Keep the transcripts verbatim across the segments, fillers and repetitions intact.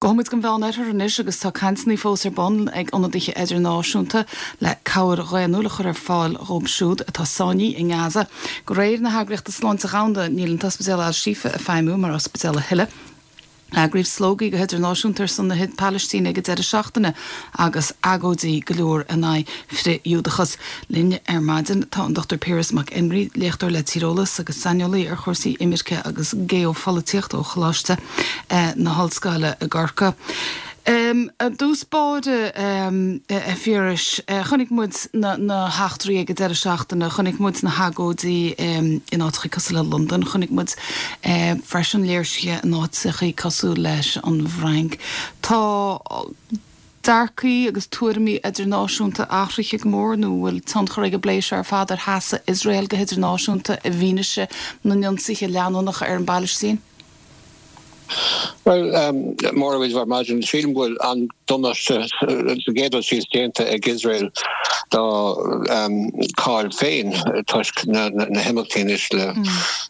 Gabhfaimid go Meánoirthear anois agus tá cainteanna fós ar bun ag ionadaithe idirnáisiúnta le cabhair dhaonnúil a chur ar fáil dóibh siúd atá sáinnithe i nGaza. De réir na hEagraíochta Sláinte Domhanda níl an t-ospidéal Al-Shifa ag feidhmiú mar ospidéal a thuilleadh. Eagraíodh slógaí go hidirnáisiúnta ar son na Palaistíne ag an deireadh seachtaine agus agóidí go leor in aghaidh frith-Ghiúdachas. Linn ar maidin tá an Dochtúir Piaras Mac Éinrí, léachtóir le tíreolas agus saineolaí ar chúrsaí imirce agus geopholaitíocht ó Choláiste eh, na hOllscoile i gCorcaigh. Um, I dtús báire um, a Phiarais uh, chonaic muid na, na heachtraí ag an deireadh seachtaine, chonaic muid na hagóidí um, in áiteacha cosúil le Londain, chonaic muid uh, freisin léirsithe in áiteacha cosúil leis an bhFrainc. Tá dearcadh agus tuairimí idirnáisiúnta athraithe go mór nó bhfuil tionchar ag an bplé seo ar fad ar sheasamh Iosrael go hidirnáisiúnta i bhfianaise na n-ionsaithe leanúnacha ar an bPalaistín? Well um, mór war imagine sílim bhfuil an damáiste sa gcéad síos déanta ag Israel dá um, cáil féin toisc na, na, na himeachtaí le mm.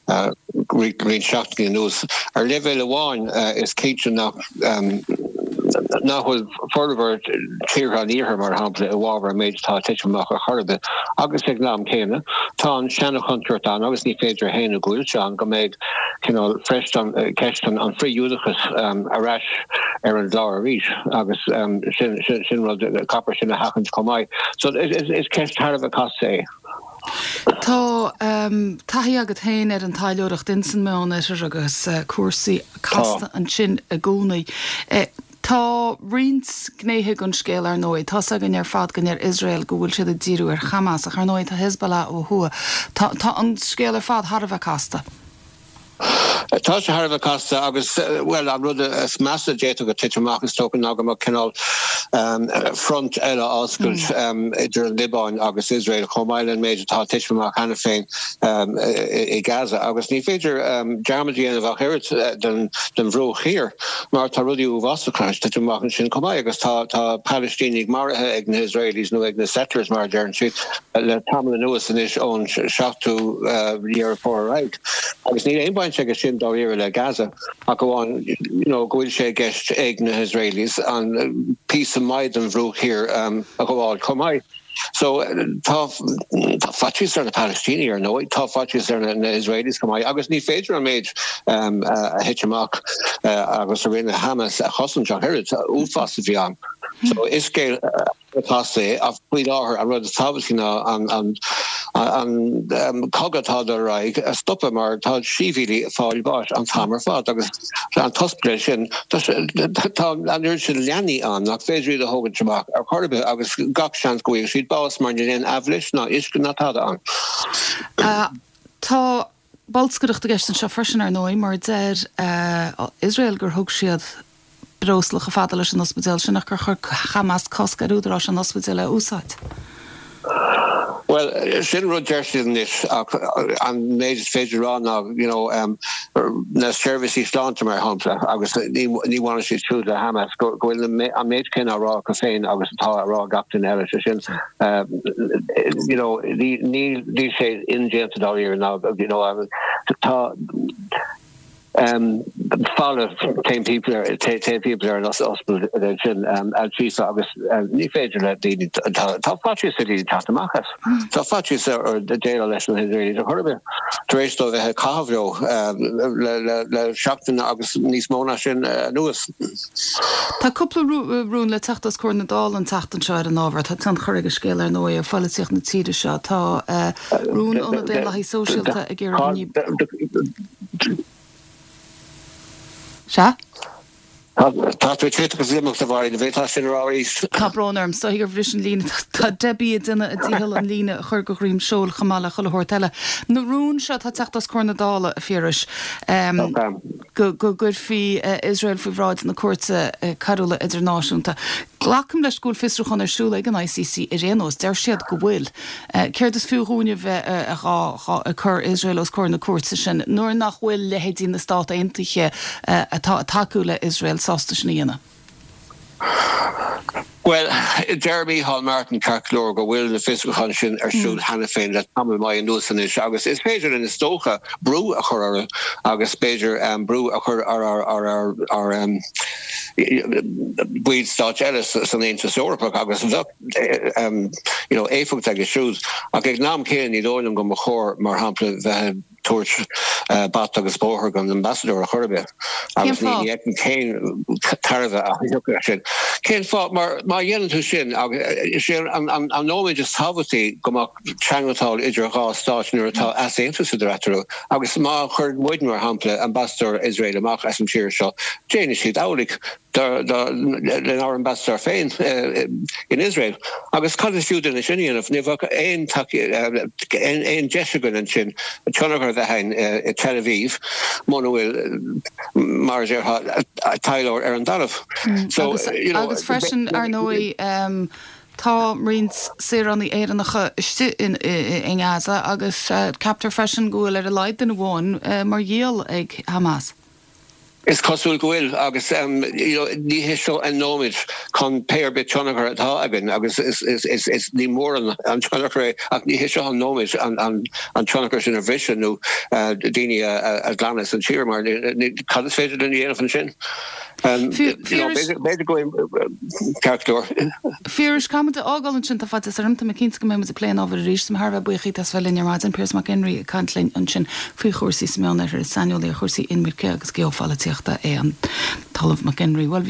uh, roinnt seachtainí anuas. Ar leibhéal amháin uh, is cinnte nach um, nach bhfuil formhór tíortha an iarthair mar shampla i bhfabhar méid atá ag titim amach ar chor ar bith agus ag an am céanna tá an seanchontúirt ann agus ní féidir a shéanadh go bhfuil sé an go mbeidh cineál freisin ceist an an frith-Ghiúdachas um, ar ais ar an gclár arís agus um, sin, sin, sin rud caithfear sin a sheachaint chomh maith. So is, is, is ceist thar a bheith casta é. Tá um, taithí agat féin ar an taidhleoireacht insan Meánoirthear agus uh, cúrsaí casta ansin i gcónaí. Uh, Tá roinnt gnéithe den scéal ar ndóigh, Tá againn ar fad go ndeir Iosrael go bhfuil siad ag díriú ar Hamas ach ar ndóigh tá Hezbollah ó thuaidh. Tá, tá an scéal ar fad thar a bheith casta. Tá sé thar a bheith casta agus well an rud is measa a d'fhéadfadh titim amach is dócha ná go mbeadh cineál um, front eile oscailt mm. um, idir an Liobáin agus Israel chomh maith leis an méid atá titim amach cheana féin um, i, i Gaza agus ní féidir um, dearmad a dhéanamh ach oiread den, den Bhruach Thiar mar tá rudaí uafásacha titim amach ansin chomh maith agus tá tá Palestínigh maraithe ag na Israelis nó ag na settlers mar deireann siad le tamall anuas anois ón seachtú uh, Deireadh Fómhair agus níl aon baint aige sin dáiríre le Gaza ach amháin you know, go bhfuil sé i gceist ag na Israelis an píosa maith den Bhruach Thiar um, a ghabháil chomh maith. So tá tá faitíos ar na Palestínigh ar ndóigh tá faitíos ar na, na Israelis chomh maith agus ní féidir an méid um, uh, a thit amach uh, agus a rinne Hamas a chosaint ach oiread uafás a bhí ann. So is scéal casta é ach faoi láthair an rud is tábhachtaí ná an an an um, cogadh atá ar aghaidh a stopadh mar tá sibhialaigh ag fáil bháis an t-am ar fad agus an t-ospidéal sin tá an oiread sin leanaí ann nach féidir iad a thógaint amach ar chor ar bith agus gach seans go bhfaighidh siad bás mar níl aon aibhléis ná uisce ná tada ann. Uh, tá bolscaireacht i gceist anseo freisin ar ndóigh mar deir uh, Israel gur thug siad breosla chomh fada leis an ospidéal sin ach gur chuir Hamas cosc ar údaráis an ospidéal a úsáid. Well sin rud deir siad anois ach an méid is féidir rá ná you know, um, na seirbhísí sláinte mar shampla agus ní bhaineann siad siúd le Hamas go bhfuil an méid céanna á rá acu féin agus atá á rá gach duine eile sé sin uh, you know, ní ní sé indéanta dáiríre ná you know, um, tá um, falla timpeall ar timpeall ar an ospidéal sin um, Al-Shifa agus um, ní féidir le daoine tá faitíos ar daoine teacht amach as. Tá faitíos ar déileáil leis na hIsraeligh a chorbe. Tar éis dóibh bheith ag caitheamh leo um, le, le, le seachtain agus níos mó ná sin uh, anuas. Tá cúpla rún le teacht os comhair na Dála an tseachtain seo ar an ábhar, tá tionchar ag an scéal ar ndóigh ar pholaitíocht na tíre seo tá uh, rún ó na Daonlathaithe Sóisialta ag iarraidh Se? Tá tú agus imeacht a bhar bhé tá sin arís. Tá brón orm so gur bhris an líne tá Debbie duine a díhall an líne a chur go ghreim seol chamála chu thirteile. Na rún seo tá teacht os comhair na Dála a Phiarais um, go go gcuirfí uh, Israel faoi bhráid na cúirte uh, coiriúla idirnáisiúnta. Glacaim leis go bhfuil fiosrúchán ar siúl ag an I C C ar aon nós, deir siad go bhfuil. Uh, Céard is fiú dúinne bheith uh, a chur Israel os comhair na cúirte sin, nuair nach bhfuil leithéidí na Stát Aontaithe uh, atá ag tacú le Israel sásta sin a dhéanamh. Well, deir Micheál Martin ceart go leor go bhfuil na fiosrúcháin sin ar siúl mm. cheana féin le tamall maith anuas anois agus is féidir linn is dócha brú a chur orthu agus b'fhéidir um, brú a chur ar ar ar ar ar um, baill stáit eile san Aontas Eorpach agus bheadh you know éifeacht aige siúd ach ag an am céanna ní dóigh liom go mba chóir mar shampla bheith ag tabhairt bata agus bóthar don ambasadóir ar chor ar bith agus ní fheicim cén tairbhe a thiocfadh as sin. Cén fáth? Mar má dhéanann tú sin agus is é an nóiméad is tábhachtaí go mbeadh teagmháil idir dhá stát nuair atá easaontas idir eatarthu agus má chuireann muid mar shampla ambasadóir Iosrael amach as an tír seo déanfaidh siad amhlaidh lenár ambasadóir féin in Iosrael. Agus cad is fiú dúinn sin a dhéanamh? Ní bheadh aon aon deis againn ansin tionchar a bheith againn i Tel Aviv muna bhfuil, mar a déarfá, taidhleoir ar an dtalamh. So, you know. Agus freisin, ar ndóigh, tá roinnt saoránaigh Éireannacha istigh i nGaza agus ceaptar freisin go bhfuil ar a laghad duine amháin mar ghiall ag Hamas. Is cosúil go bhfuil agus you know ní hé seo an nóiméad chun pé ar bith tionchar atá againn agus is is is is ní mór an an tionchar é ach ní hé seo an nóiméad an an an tionchar sin a bhriseadh nó daoine a a ghlanadh as an tír mar cad is féidir linn a dhéanamh ansin? B'fhéidir go bhfuil ceart go leor. Phiarais, caithfidh muid a fhágáil ansin, tá faitíos orm, tá mé cinnte go mbeidh muid ag plé an ábhair arís. Tá mé thar a bheith buíoch díot as bheith linn ar maidin. Piaras Mac Éinrí ag caint linn ansin faoi chúrsaí sa Meánoirthear. Is saineolaí ar chúrsaí inimirce agus geopholaitíochta é an tOllamh Mac Éinrí. Bhuel, bhí.